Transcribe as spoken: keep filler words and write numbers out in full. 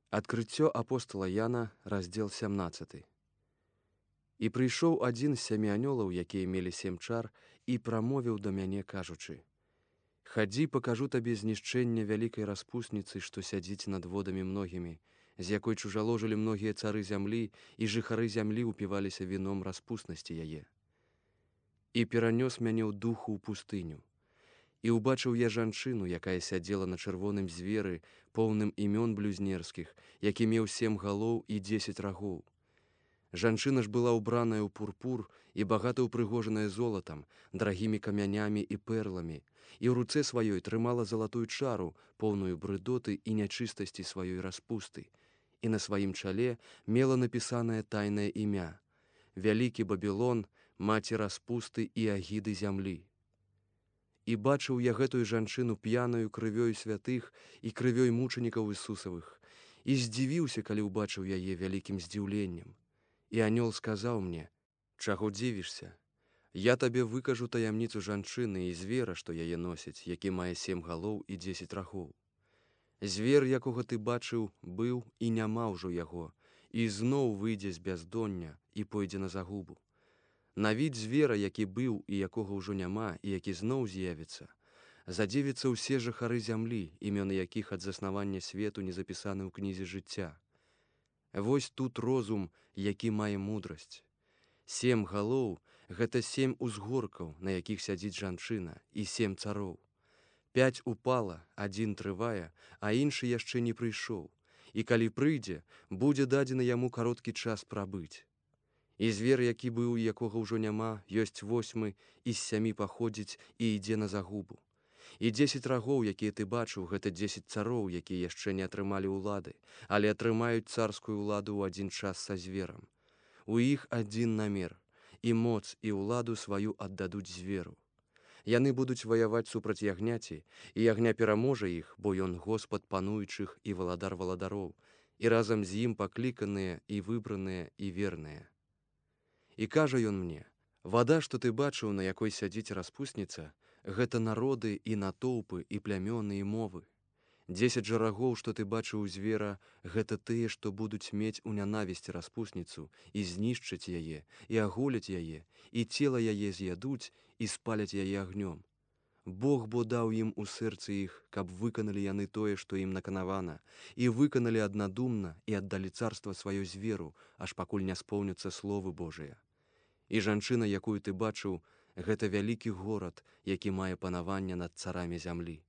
Адкрыццё апостала Яна, раздзел сямнаццаты. І прыйшоў адзін з сямі анёлаў, якія мелі сем чар, і прамовіў да мяне, кажучы: «Хадзі, пакажу табе знішчэнне вялікай распусніцы, што сядзіць над водамі многімі, з якой чужаложылі многія цары зямлі, і жыхары зямлі упіваліся віном распуснасці яе. І перанёс мяне ў духу ў пустыню. І ўбачыў я жанчыну, якая сядзела на чырвоным зверы, поўным імён блюзнерскіх, які меў сем галоў і дзесяць рагоў. Жанчына ж была ўбраная ў пурпур і багата ўпрыгожаная золатам, дарагімі камянямі і перламі, і ў руцэ сваёй трымала залатую чару, поўную брыдоты і нячыстасці сваёй распусты, і на сваім чале мела напісанае тайнае імя: «Вялікі Бабілон, маці распусты і агіды зямлі». І бачыў я гэтую жанчыну п'янаю крывёю святых і крывёй мучанікаў Ісусавых, і здзівіўся, калі ўбачыў яе вялікім здзіўленнем. І анёл сказаў мне: «Чаго дзівішся? Я табе выкажу таямніцу жанчыны і звера, што яе носіць, які мае сем галоў і дзесяць рагоў. Звер, якога ты бачыў, быў і няма ўжо яго, і зноў выйдзе з бяздоння і пойдзе на загубу. На від звера, які быў і якога ўжо няма, і які зноў з'явіцца, задзівіцца ўсе жыхары зямлі, імёны якіх ад заснавання свету не запісаны ў кнізе жыцця. Вось тут розум, які мае мудрасць. Сем галоў — гэта сем узгоркаў, на якіх сядзіць жанчына, і сем цароў. Пяць упала, адзін трывае, а іншы яшчэ не прыйшоў. І калі прыйдзе, будзе дадзены яму кароткі час прабыць. І звер, які быў і якога ўжо няма, ёсць восьмы, і з сямі паходзіць і ідзе на загубу. І дзесяць рагоў, якія ты бачыў, гэта дзесяць цароў, якія яшчэ не атрымалі ўлады, але атрымаюць царскую ўладу ў адзін час са зверам. У іх адзін намер, і моц і ўладу сваю аддадуць зверу. Яны будуць ваяваць супраць ягняці, і ягня пераможа іх, бо ён Господ пануючых і валадар валадароў, і разам з ім пакліканыя і выбраныя і верныя. І кажа ён мне: «Вада, што ты бачыў, на якой сядзіць распусніца, гэта народы і натоўпы і плямёны і мовы. Дзесяць жа рагоў, што ты бачыў у звера, гэта тыя, што будуць мець у нянавісці распусніцу, і знішчаць яе, і аголяць яе, і цела яе з'ядуць, і спаляць яе агнём. Бог бо даў ім у сэрцы іх, каб выканалі яны тое, што ім наканавана, і выканалі аднадумна і аддалі царства сваё зверу, аж пакуль не споўняцца словы Божыя. І жанчына, якую ты бачыў, гэта вялікі горад, які мае панаванне над царамі зямлі.